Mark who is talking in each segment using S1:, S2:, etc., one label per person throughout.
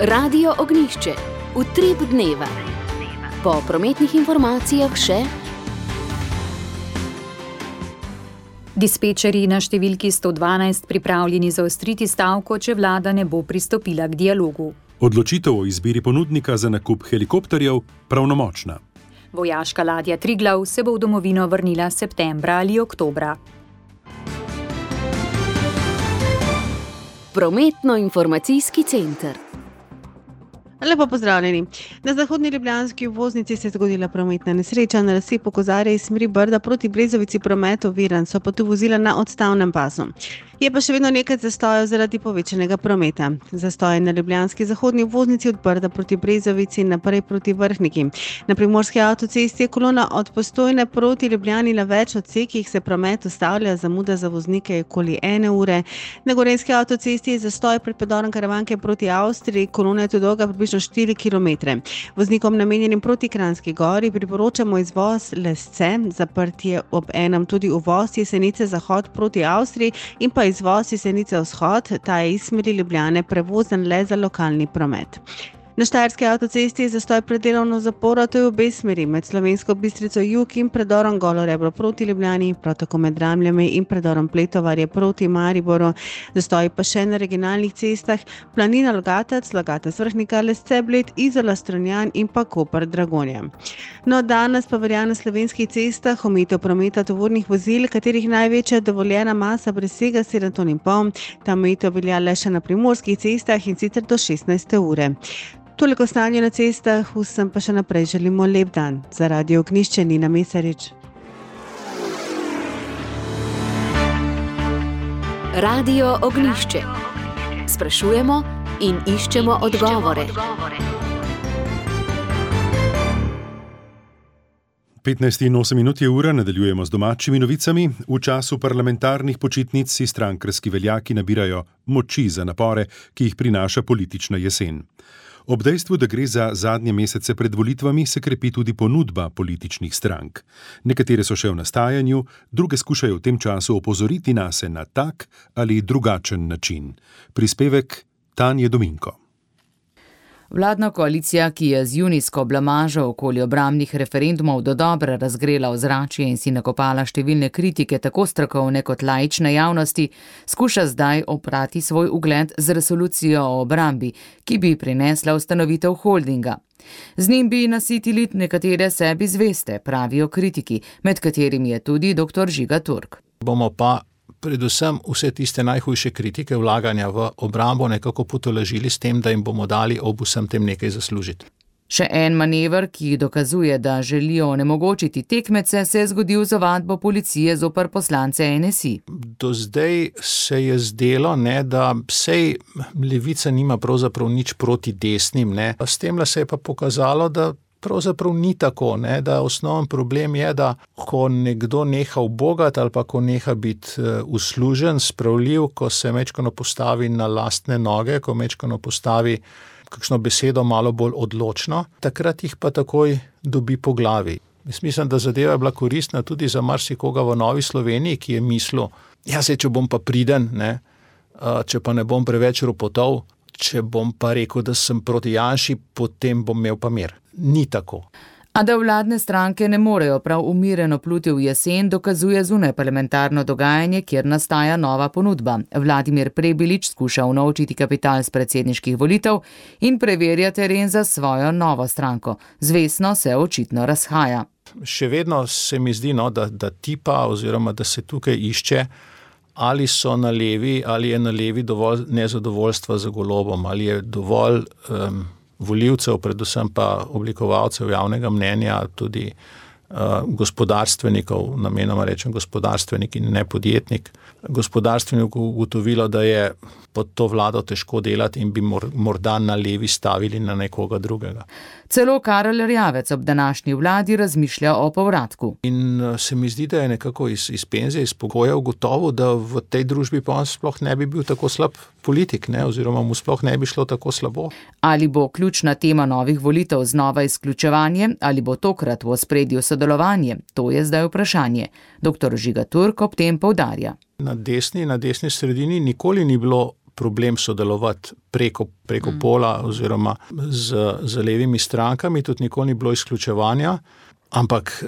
S1: Radio Ognjišče, utrip dneva. Po prometnih informacijah še
S2: dispečerji na številki 112 pripravljeni zaostriti stavko, če vlada ne bo pristopila k dialogu.
S3: Odločitev o izbiri ponudnika za nakup helikopterjev pravnomočna.
S2: Vojaška ladja Triglav se bo v domovino vrnila septembra ali oktobra.
S1: Prometno-informacijski center.
S4: Lepo pozdravljeni. Na zahodni ljubljanski obvoznici se je zgodila prometna nesreča. Na nasipu Kozarje iz smeri Brda proti Brezovici promet oviran, so pa tu vozila na odstavnem pasu. Je pa še vedno nekaj zastojev zaradi povečanega prometa. Zastoje na ljubljanski zahodni obvoznici od Brda proti Brezovici in naprej proti Vrhniki. Na primorski avtocesti je kolona od Postojne proti Ljubljani na več odsekih se promet ustavlja, zamuda za voznike je okoli 1 ure. Na gorenjski avtocesti je zastoj pred predorom Karavanke proti Avstriji, kolona je tu dolga približno 4 km. Voznikom namenjenim proti Kranjski Gori priporočamo izvoz Lesce, zaprt je ob enem tudi uvoz Jesenice zahod proti Avstriji in pa izvoz Jesenice vzhod, ta je iz smeri Ljubljane prevozen le za lokalni promet. Na štajerski avtocesti je zastoj pred delovno zaporo, to je v obe smeri, med Slovensko Bistrico jug in predorom Golo Rebro proti Ljubljani, prav tako med Dramljami in predorom Pletovarje proti Mariboru. Zastoji pa še na regionalnih cestah Planina Logatec, Logatec Vrhnika, Lesce Bled, Izola Strunjan in pa Koper Dragonja. No, danes pa velja na slovenskih cestah omejitev prometa tovornih vozil, katerih največja dovoljena masa presega 7,5 ton. Ta omejitev velja le še na primorskih cestah in sicer do 16. ure. Toliko stanje na cestah, vsem pa še naprej želimo lep dan. Za Radio Ognjišče Nina Mesarič.
S1: Radio Ognjišče. Sprašujemo in iščemo odgovore.
S3: 15:08 je ura, nadaljujemo z domačimi novicami. V času parlamentarnih počitnic si strankarski veljaki nabirajo moči za napore, ki jih prinaša politična jesen. Ob dejstvu, da gre za zadnje mesece pred volitvami, se krepi tudi ponudba političnih strank. Nekatere so še v nastajanju, druge skušajo v tem času opozoriti nase na tak ali drugačen način. Prispevek Tanje Dominko.
S5: Vladna koalicija, ki je z junijsko blamažo okoli obrambnih referendumov dodobra razgrela ozračje in si nakopala številne kritike tako strokovne kot laične javnosti, skuša zdaj oprati svoj ugled z resolucijo o obrambi, ki bi prinesla ustanovitev holdinga. Z njim bi nasitili nekatere sebi zveste, pravijo kritiki, med katerimi je tudi dr. Žiga Turk.
S6: Bomo pa predvsem vse tiste najhujše kritike vlaganja v obrambo nekako potolažili s tem, da jim bomo dali ob vsem tem nekaj zaslužiti.
S5: Še en manever, ki dokazuje, da želijo onemogočiti tekmece, se je zgodil z ovadbo policije zoper poslance NSI.
S6: Do zdaj se je zdelo, da sej levica nima pravzaprav nič proti desnim. S temle se je pa pokazalo, da pravzaprav ni tako, da osnoven problem je, da ko nekdo neha ubogati ali pa ko neha biti uslužen, spravljiv, ko se mečkano postavi na lastne noge, ko mečkano postavi kakšno besedo malo bolj odločno, takrat jih pa takoj dobi po glavi. Mislim, da zadeva je bila koristna tudi za marsikoga v Novi Sloveniji, ki je mislil, če bom pa priden, če pa ne bom preveč ropotov, če bom pa rekel, da sem proti Janši, potem bom imel pa mir. Ni tako.
S5: A da vladne stranke ne morejo prav umireno pluti v jesen, dokazuje zunajparlamentarno dogajanje, kjer nastaja nova ponudba. Vladimir Prebilič skuša unovčiti kapital z predsedniških volitev in preverja teren za svojo novo stranko. Zvestno se očitno razhaja.
S6: Še vedno se mi zdi, da tipa oziroma da se tukaj išče, ali so na levi, ali je na levi dovolj nezadovoljstva za Golobom, ali je dovolj volivcev, predvsem pa oblikovalcev javnega mnenja, tudi gospodarstvenikov, namenoma rečem gospodarstvenik in ne podjetnik, gospodarstvenik ugotovilo, da je pod to vlado težko delati in bi morda na levi stavili na nekoga drugega.
S5: Celo Karel Erjavec ob današnji vladi razmišlja o povratku.
S6: In se mi zdi, da je nekako iz penzije, iz pogoja ugotovil, da v tej družbi pa on sploh ne bi bil tako slab politik, oziroma mu sploh ne bi šlo tako slabo.
S5: Ali bo ključna tema novih volitev znova izključevanje, ali bo tokrat v ospredju sodelovanje, to je zdaj vprašanje. Dr. Žiga Turk ob tem poudarja.
S6: Na desni sredini nikoli ni bilo problem sodelovati preko pola oziroma z levimi strankami, tudi nikoli ni bilo izključevanja. Ampak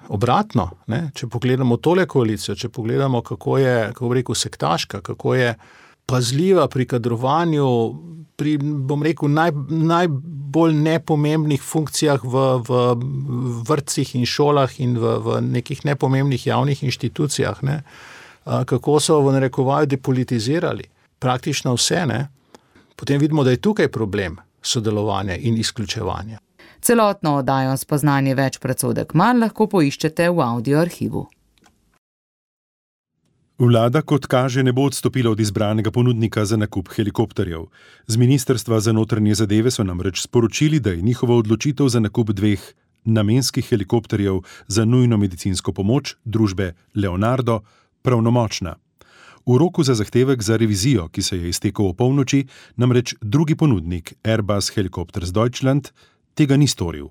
S6: obratno, ne, če pogledamo tole koalicijo, če pogledamo, kako je, kako bi rekel, sektaška, kako je pazljiva pri kadrovanju, pri, bom rekel, najbolj nepomembnih funkcijah v vrtcih in šolah in v nekih nepomembnih javnih inštitucijah, ne, kako so v narekovaju depolitizirali praktično vse, ne, potem vidimo, da je tukaj problem sodelovanja in izključevanja.
S5: Celotno oddajo Spoznanje več predsodek manj lahko poiščete v audio arhivu.
S3: Vlada, kot kaže, ne bo odstopila od izbranega ponudnika za nakup helikopterjev. Z Ministrstva za notranje zadeve so namreč sporočili, da je njihova odločitev za nakup 2 namenskih helikopterjev za nujno medicinsko pomoč družbe Leonardo pravnomočna. V roku za zahtevek za revizijo, ki se je iztekel v polnoči, namreč drugi ponudnik Airbus Helicopters Deutschland tega ni storil.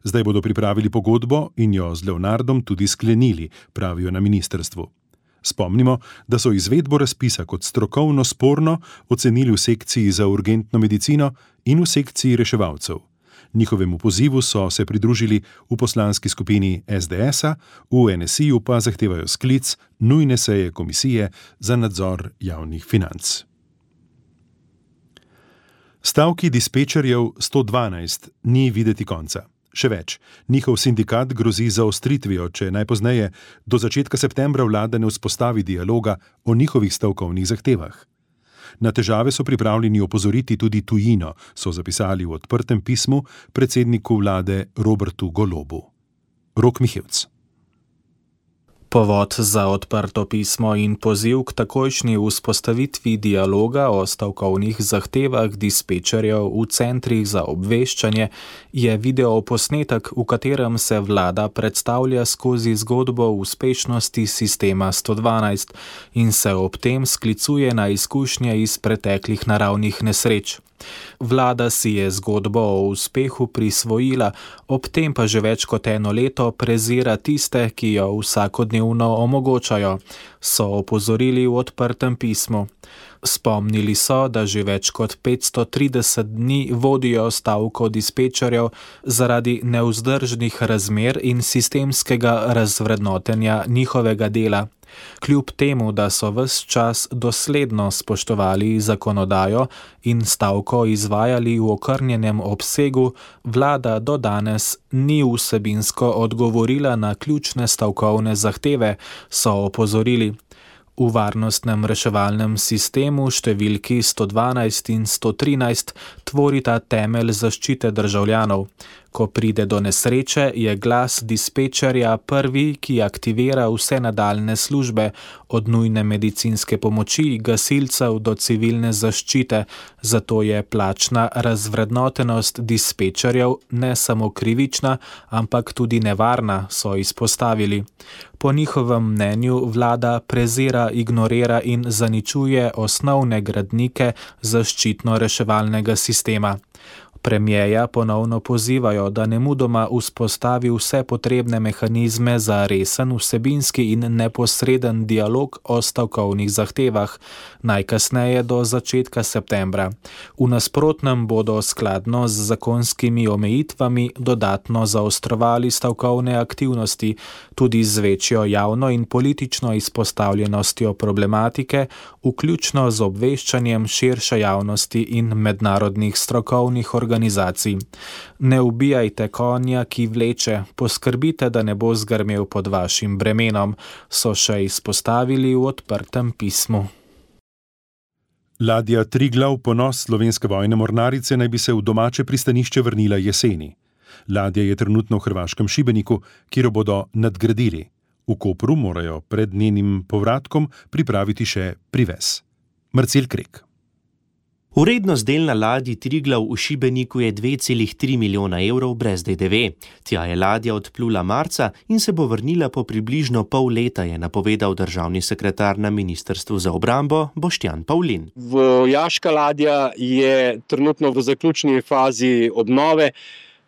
S3: Zdaj bodo pripravili pogodbo in jo z Leonardom tudi sklenili, pravijo na ministrstvu. Spomnimo, da so izvedbo razpisa kot strokovno sporno ocenili v sekciji za urgentno medicino in v sekciji reševalcev. Njihovemu pozivu so se pridružili v poslanski skupini SDS-a, v NSI-ju pa zahtevajo sklic nujne seje komisije za nadzor javnih financ. Stavki dispečerjev 112 ni videti konca. Še več, njihov sindikat grozi zaostritvijo, če najpozneje do začetka septembra vlada ne vzpostavi dialoga o njihovih stavkovnih zahtevah. Na težave so pripravljeni opozoriti tudi tujino, so zapisali v odprtem pismu predsedniku vlade Robertu Golobu. Rok Mihevc.
S7: Povod za odprto pismo in poziv k takojšnji vzpostavitvi dialoga o stavkovnih zahtevah dispečerjev v centrih za obveščanje je videoposnetek, v katerem se vlada predstavlja skozi zgodbo uspešnosti sistema 112 in se ob tem sklicuje na izkušnje iz preteklih naravnih nesreč. Vlada si je zgodbo o uspehu prisvojila, ob tem pa že več kot 1 leto prezira tiste, ki jo vsakodnevno omogočajo, so opozorili v odprtem pismu. Spomnili so, da že več kot 530 dni vodijo stavko dispečerjev zaradi nevzdržnih razmer in sistemskega razvrednotenja njihovega dela. Kljub temu, da so ves čas dosledno spoštovali zakonodajo in stavko izvajali v okrnjenem obsegu, vlada do danes ni vsebinsko odgovorila na ključne stavkovne zahteve, so opozorili. V varnostnem reševalnem sistemu številki 112 in 113 tvorita temelj zaščite državljanov. Ko pride do nesreče, je glas dispečerja prvi, ki aktivira vse nadaljne službe, od nujne medicinske pomoči, gasilcev do civilne zaščite, zato je plačna razvrednotenost dispečerjev ne samo krivična, ampak tudi nevarna, so izpostavili. Po njihovem mnenju vlada prezira, ignorira in zaničuje osnovne gradnike zaščitno-reševalnega sistema. Premierja ponovno pozivajo, da nemudoma vzpostavi vse potrebne mehanizme za resen, vsebinski in neposreden dialog o stavkovnih zahtevah, najkasneje do začetka septembra. V nasprotnem bodo skladno z zakonskimi omejitvami dodatno zaostrovali stavkovne aktivnosti, tudi z večjo javno in politično izpostavljenostjo problematike, vključno z obveščanjem širše javnosti in mednarodnih strokovnih organizacij. Ne ubijajte konja, ki vleče, poskrbite, da ne bo zgrmel pod vašim bremenom, so še izpostavili v odprtem pismu.
S3: Ladja Triglav, ponos slovenske vojne mornarice, naj bi se v domače pristanišče vrnila jeseni. Ladja je trenutno v hrvaškem Šibeniku, kjer jo bodo nadgradili. V Kopru morajo pred njenim povratkom pripraviti še privez. Marcel Krek.
S8: Vrednost del na ladji Triglav v Šibeniku je 2,3 milijona evrov brez DDV. Tja je ladja odplula marca in se bo vrnila po približno pol leta, je napovedal državni sekretar na Ministrstvu za obrambo Boštjan Pavlin.
S9: Vojaška ladja je trenutno v zaključni fazi obnove.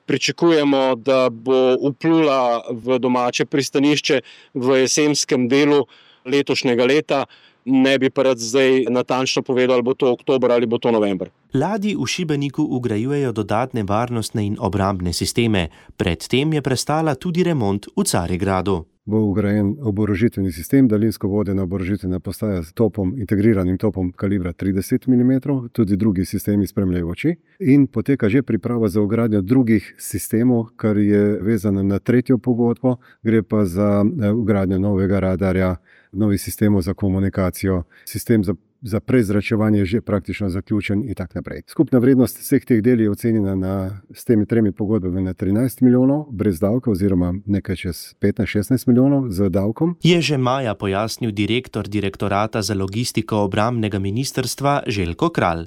S9: Pričakujemo, da bo vplula v domače pristanišče v jesenskem delu letošnjega leta. ne bi pa rad zdaj natančno povedal, ali bo to oktober ali bo to november.
S8: Ladji v Šibeniku vgrajujejo dodatne varnostne in obrambne sisteme. Predtem je prestala tudi remont v Carigradu.
S10: Bo vgrajen oborožitveni sistem, daljinsko vodena oborožitvena postaja s topom, integriranim topom kalibra 30 mm, tudi drugi sistemi spremljajoči. In poteka že priprava za vgradnjo drugih sistemov, kar je vezano na tretjo pogodbo. Gre pa za vgradnjo novega radarja, novih sistemov za komunikacijo, sistem za prezračevanje je že praktično zaključen in tako naprej. Skupna vrednost vseh teh del je ocenjena s temi 3 pogodbami na 13 milijonov brez davka oziroma nekaj čez 15-16 milijonov z davkom.
S8: Je že maja pojasnil direktor Direktorata za logistiko obrambnega ministrstva Željko Kralj.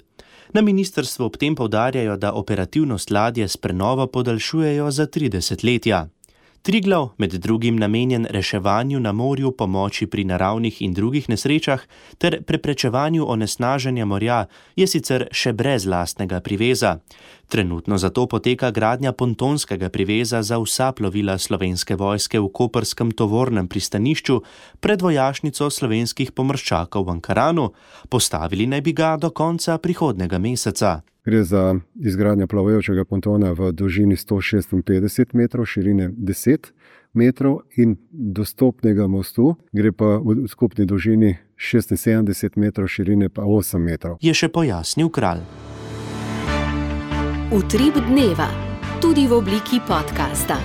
S8: Na ministrstvu ob tem poudarjajo, da operativnost ladje s prenovo podaljšujejo za 3 desetletja. Triglav, med drugim namenjen reševanju na morju, pomoči pri naravnih in drugih nesrečah ter preprečevanju onesnaženja morja, je sicer še brez lastnega priveza. Trenutno zato poteka gradnja pontonskega priveza za vsa plovila Slovenske vojske v koprskem tovornem pristanišču pred vojašnico slovenskih pomorščakov v Ankaranu. Postavili naj bi ga do konca prihodnjega meseca.
S10: Gre za izgradnjo plavajočega pontona v dolžini 156 metrov, širine 10 metrov in dostopnega mostu. Gre pa v skupni dolžini 76 metrov, širine pa 8 metrov.
S8: Je še pojasnil Kralj.
S1: Utrip dneva, tudi v obliki podcasta.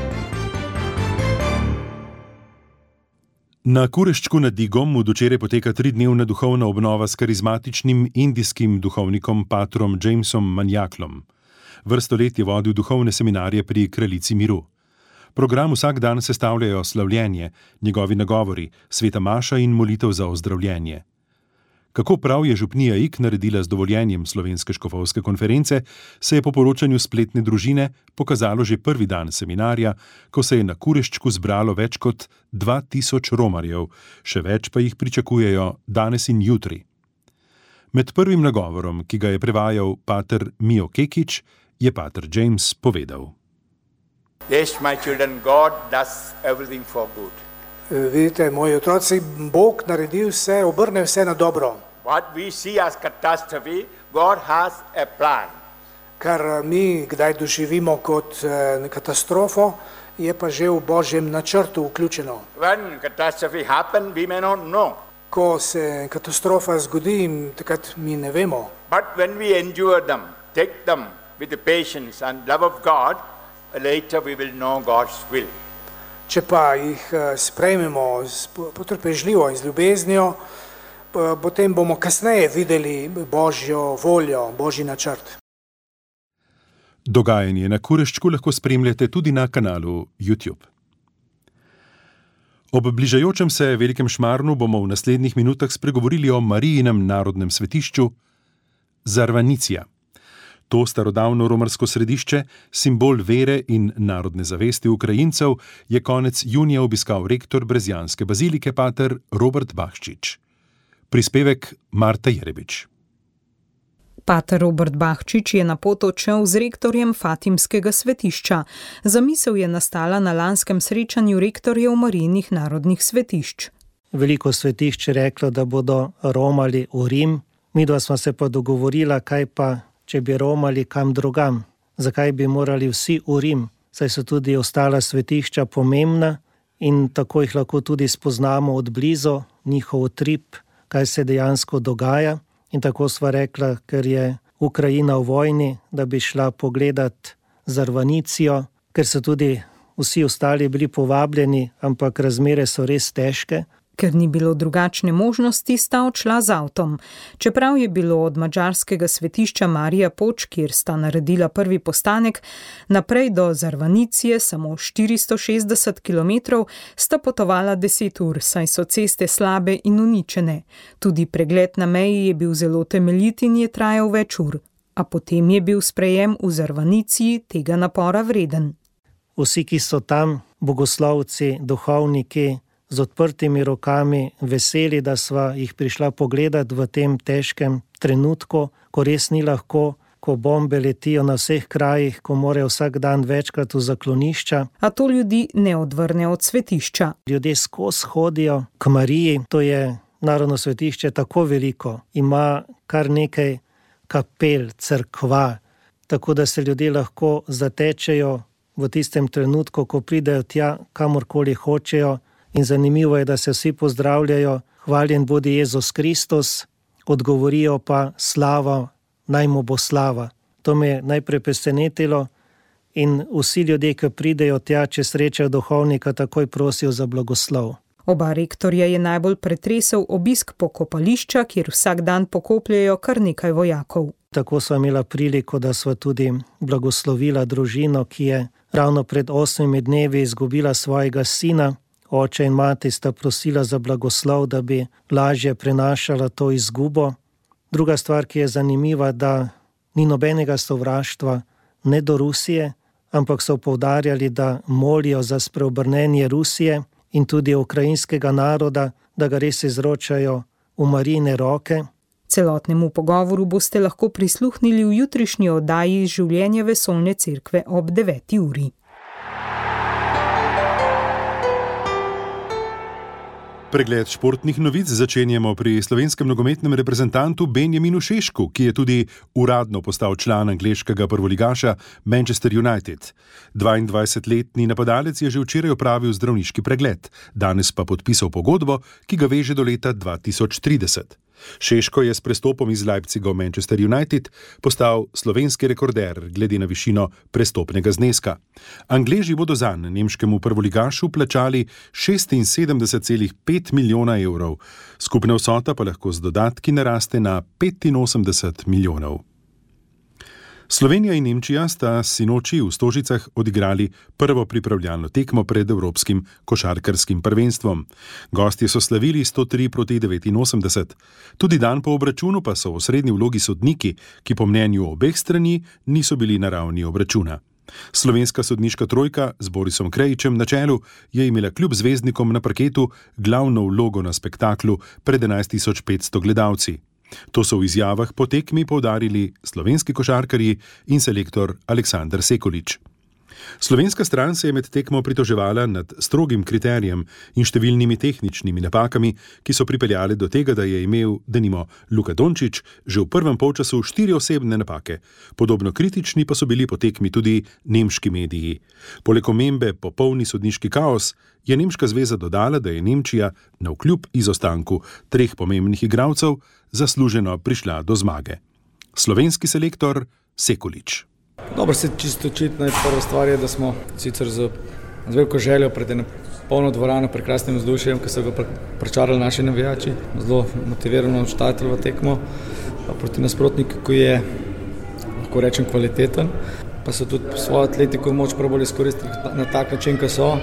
S3: Na Kureščku nad Igom od včeraj poteka 3-dnevna duhovna obnova s karizmatičnim indijskim duhovnikom patrom Jamesom Manjaklom. Vrsto let je vodil duhovne seminarje pri Kraljici miru. Program vsak dan sestavljajo slavljenje, njegovi nagovori, sveta maša in molitev za ozdravljenje. Kako prav je župnija Ig naredila z dovoljenjem Slovenske škofovske konference, se je po poročanju spletne družine pokazalo že prvi dan seminarja, ko se je na Kureščku zbralo več kot 2000 romarjev, še več pa jih pričakujejo danes in jutri. Med prvim nagovorom, ki ga je prevajal pater Mio Kekič, je pater James povedal.
S11: Yes, my children, God does everything for good.
S12: Vidite, moji otroci, Bog naredi vse, obrne vse na dobro.
S11: What we see as catastrophe, God has a plan.
S12: Kar mi kdaj doživimo kot katastrofo, je pa že v Božjem načrtu vključeno.
S11: When catastrophe happen, we may not know.
S12: Ko se katastrofa zgodi, takrat mi ne vemo.
S11: But when we endure them, take them with the patience and love of God, later we will know God's will.
S12: Če pa jih sprejmemo potrpežljivo in z ljubeznijo, potem bomo kasneje videli Božjo voljo, Božji načrt.
S3: Dogajanje na Kureščku lahko spremljate tudi na kanalu YouTube. Ob bližajočem se Velikem Šmarnu bomo v naslednjih minutah spregovorili o Marijinem narodnem svetišču Zarvanicija. To starodavno romarsko središče, simbol vere in narodne zavesti Ukrajincev, je konec junija obiskal rektor brezjanske bazilike pater Robert Bahčič. Prispevek Marta Jerebič.
S2: Pater Robert Bahčič je na pot odšel z rektorjem Fatimskega svetišča. Zamisel je nastala na lanskem srečanju rektorjev Marijinih narodnih svetišč.
S13: Veliko svetišč je reklo, da bodo romali v Rim. Midva sva se pa dogovorila, kaj pa če bi romali kam drugam, zakaj bi morali vsi v Rim, saj so tudi ostala svetišča pomembna in tako jih lahko tudi spoznamo od blizu, njihov utrip, kaj se dejansko dogaja. In tako sva rekla, ker je Ukrajina v vojni, da bi šla pogledat Zarvanicijo, ker so tudi vsi ostali bili povabljeni, ampak razmere so res težke.
S2: Ker ni bilo drugačne možnosti, sta odšla z avtom. Čeprav je bilo od madžarskega svetišča Marija Poč, kjer sta naredila prvi postanek, naprej do Zarvanicije samo 460 km, sta potovala 10 ur, saj so ceste slabe in uničene. Tudi pregled na meji je bil zelo temeljit in je trajal več ur. A potem je bil sprejem v Zarvaniciji tega napora vreden.
S13: Vsi, ki so tam, bogoslovci, duhovniki, z odprtimi rokami, veseli, da sva jih prišla pogledat v tem težkem trenutku, ko res ni lahko, ko bombe letijo na vseh krajih, ko morajo vsak dan večkrat v zaklonišča.
S2: A to ljudi ne odvrne od svetišča.
S13: Ljudje skozi hodijo k Mariji, to je narodno svetišče tako veliko, ima kar nekaj kapel, cerkva, tako da se ljudje lahko zatečejo v tistem trenutku, ko pridejo tja, kamorkoli hočejo, in zanimivo je, da se vsi pozdravljajo, hvaljen bodi Jezus Kristus, odgovorijo pa slava, naj mu bo slava. To me je najprej presenetilo in vsi ljudje, ki pridejo tja, če srečajo duhovnika, takoj prosijo za blagoslov.
S2: Oba rektorja je najbolj pretresel obisk pokopališča, kjer vsak dan pokopljajo kar nekaj vojakov.
S13: Tako sva imela priliko, da sva tudi blagoslovila družino, ki je ravno pred 8 dnevi izgubila svojega sina. Oče in mati sta prosila za blagoslov, da bi lažje prenašala to izgubo. Druga stvar, ki je zanimiva, da ni nobenega sovraštva ne do Rusije, ampak so poudarjali, da molijo za spreobrnenje Rusije in tudi ukrajinskega naroda, da ga res izročajo v Marijine roke.
S2: Celotnemu pogovoru boste lahko prisluhnili v jutrišnji oddaji Življenje vesoljne cerkve ob 9. uri.
S3: Pregled športnih novic začenjamo pri slovenskem nogometnem reprezentantu Benjaminu Šešku, ki je tudi uradno postal član angleškega prvoligaša Manchester United. 22-letni napadalec je že včeraj opravil zdravniški pregled, danes pa podpisal pogodbo, ki ga veže do leta 2030. Šeško je s prestopom iz Leipziga v Manchester United postal slovenski rekorder glede na višino prestopnega zneska. Angleži bodo zanj nemškemu prvoligašu plačali 76,5 milijona evrov. Skupna vsota pa lahko z dodatki naraste na 85 milijonov. Slovenija in Nemčija sta sinoči v Stožicah odigrali prvo pripravljalno tekmo pred evropskim košarkarskim prvenstvom. Gostje so slavili 103-89. Tudi dan po obračunu pa so v osrednji vlogi sodniki, ki po mnenju obeh strani niso bili na ravni obračuna. Slovenska sodniška trojka z Borisom Krejičem na čelu je imela kljub zvezdnikom na parketu glavno vlogo na spektaklu pred 11.500 gledalci. To so v izjavah po tekmi poudarili slovenski košarkarji in selektor Aleksander Sekolič. Slovenska stran se je med tekmo pritoževala nad strogim kriterijem in številnimi tehničnimi napakami, ki so pripeljale do tega, da je imel, denimo, Luka Dončić že v prvem polčasu 4 osebne napake. Podobno kritični pa so bili po tekmi tudi nemški mediji. Poleg omembe popolni sodniški kaos je nemška zveza dodala, da je Nemčija navkljub izostanku 3 pomembnih igralcev zasluženo prišla do zmage. Slovenski selektor Sekolič.
S14: Dobro, se čisto očitno je prva stvar, je, da smo sicer z veliko željo pred eno polno dvorano, prekrasnim vzdušjem, ki so ga pričarali naši navijači, zelo motivirano štartali v tekmo proti nasprotniku, ki je, lahko rečem, kvaliteten, pa so tudi svojo atletiko moč probali izkoristiti na tak način, kot so,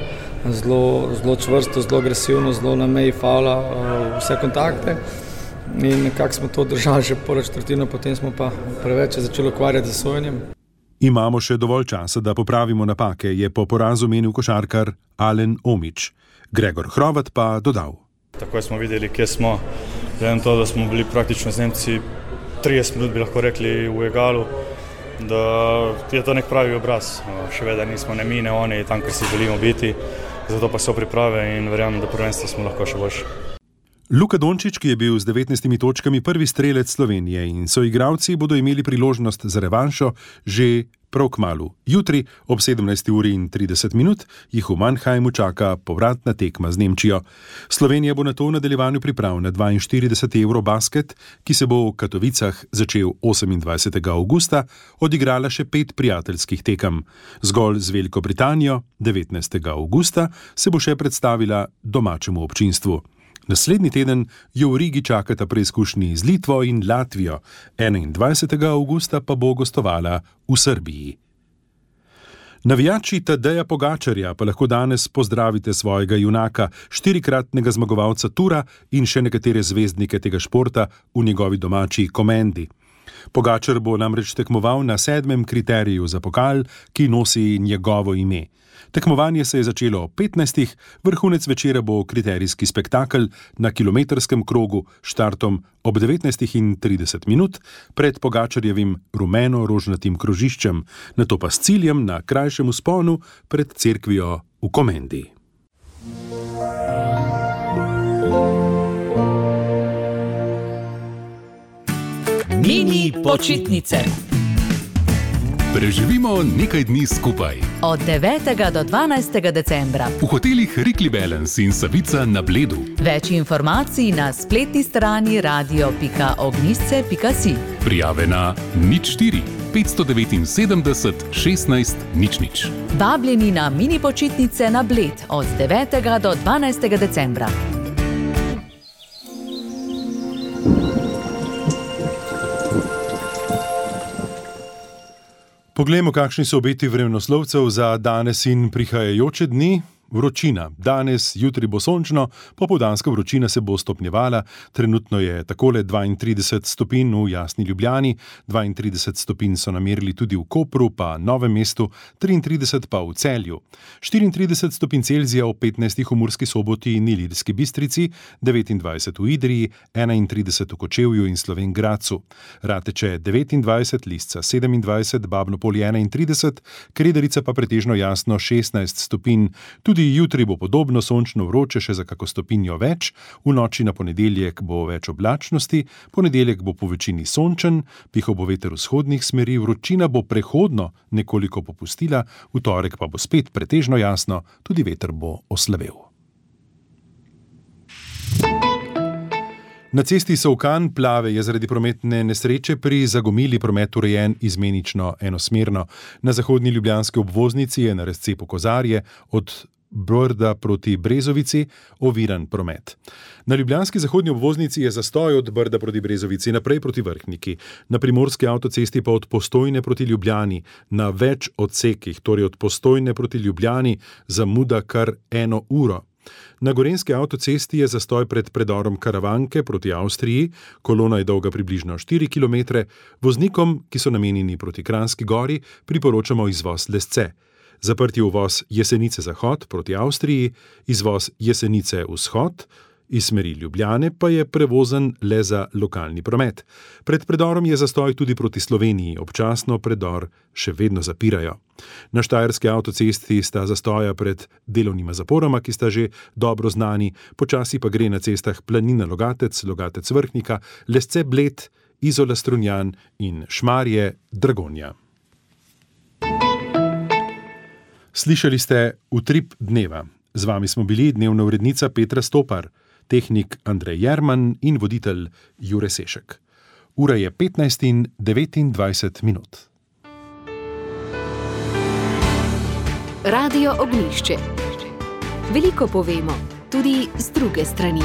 S14: zelo čvrsto, zelo agresivno, zelo na meji favla, vse kontakte. In nekako smo to držali že prvo četrtino, potem smo pa preveč začeli ukvarjati z sojenjem.
S3: Imamo še dovolj časa, da popravimo napake, je po porazu menil košarkar Alen Omić. Gregor Hrovat pa dodal.
S15: Takoj smo videli, kje smo. Glede na to, da smo bili praktično z Nemci 30 minut, bi lahko rekli, v egalu, da je to nek pravi obraz. Še vedno nismo ne mi, ne oni, tam, kjer si želimo biti. Zato pa so priprave in verjamem, da prvenstvo smo lahko še boljši.
S3: Luka Dončić, ki je bil z 19 točkami prvi strelec Slovenije in soigralci bodo imeli priložnost za revanšo že prav kmalu. Jutri ob 17:30 jih v Mannheimu čaka povratna tekma z Nemčijo. Slovenija bo nato v nadaljevanju priprav na 42. Eurobasket, ki se bo v Katovicah začel 28. avgusta, odigrala še 5 prijateljskih tekem. Zgolj z Veliko Britanijo 19. avgusta se bo še predstavila domačemu občinstvu. Naslednji teden jo v Rigi čakata preizkušnji z Litvo in Latvijo, 21. avgusta pa bo gostovala v Srbiji. Navijači Tadeja Pogačarja pa lahko danes pozdravite svojega junaka, 4-kratnega zmagovalca Tura in še nekatere zvezdnike tega športa v njegovi domači Komendi. Pogačar bo namreč tekmoval na 7. kriteriju za pokal, ki nosi njegovo ime. Tekmovanje se je začelo ob 15. Vrhunec večera bo kriterijski spektakel na kilometrskem krogu s štartom ob 19:30 pred Pogačarjevim rumeno-rožnatim krožiščem, nato pa s ciljem na krajšem vzponu pred cerkvijo v Komendi.
S16: Mini počitnice.
S17: Preživimo nekaj dni skupaj.
S16: Od 9. do 12. decembra.
S17: V hotelih Rikli Balance in Savica na Bledu.
S16: Več informacij na spletni strani radio.ognjišče.si.
S17: Prijave na 04 579 16 00.
S16: Vabljeni na mini počitnice na Bled od 9. do 12. decembra.
S3: Poglejmo, kakšni so obeti vremenoslovcev za danes in prihajajoče dni. Vročina. Danes, jutri bo sončno, popoldanska vročina se bo stopnjevala. Trenutno je takole 32 stopinj v Jasni Ljubljani, 32 stopinj so namerili tudi v Kopru, pa Novem mestu, 33 pa v Celju. 34 stopinj Celzija v 15 v Murski Soboti in Ilirski Bistrici, 29 v Idriji, 31 v Kočevju in Slovenj Gradcu. Rateče 29, Lisca 27, Babno Polje 31, Krederica pa pretežno jasno 16 stopinj. Tudi jutri bo podobno sončno vroče, še za kako stopinjo več, v noči na ponedeljek bo več oblačnosti, ponedeljek bo po večini sončen, pihal bo veter vzhodnih smeri, vročina bo prehodno nekoliko popustila, v torek pa bo spet pretežno jasno, tudi veter bo oslavel. Na cesti Solkan Plave je zaradi prometne nesreče pri Zagomili promet urejen izmenično enosmerno. Na zahodni ljubljanski obvoznici je na razcepu Kozarje od Brda proti Brezovici oviran promet. Na ljubljanski zahodni obvoznici je zastoj od Brda proti Brezovici naprej proti Vrhniki, na primorski avtocesti pa od Postojne proti Ljubljani, na več odsekih, torej od Postojne proti Ljubljani, zamuda kar 1 uro. Na gorenjski avtocesti je zastoj pred predorom Karavanke proti Avstriji, kolona je dolga približno 4 km, voznikom, ki so namenjeni proti Kranjski gori, priporočamo izvoz Lesce. Zaprti uvoz Jesenice zahod proti Avstriji, izvoz Jesenice vzhod, iz smeri Ljubljane pa je prevozen le za lokalni promet. Pred predorom je zastoj tudi proti Sloveniji, občasno predor še vedno zapirajo. Na štajerski avtocesti sta zastoja pred delovnima zaporoma, ki sta že dobro znani, počasi pa gre na cestah Planina Logatec, Logatec Vrhnika, Lesce Bled, Izola Strunjan in Šmarje Dragonja. Slišali ste Utrip dneva. Z vami smo bili dnevna urednica Petra Stopar, tehnik Andrej Jerman in voditelj Jure Sešek. Ura je 15:29.
S1: Radio Ognjišče. Veliko povemo, tudi z druge strani.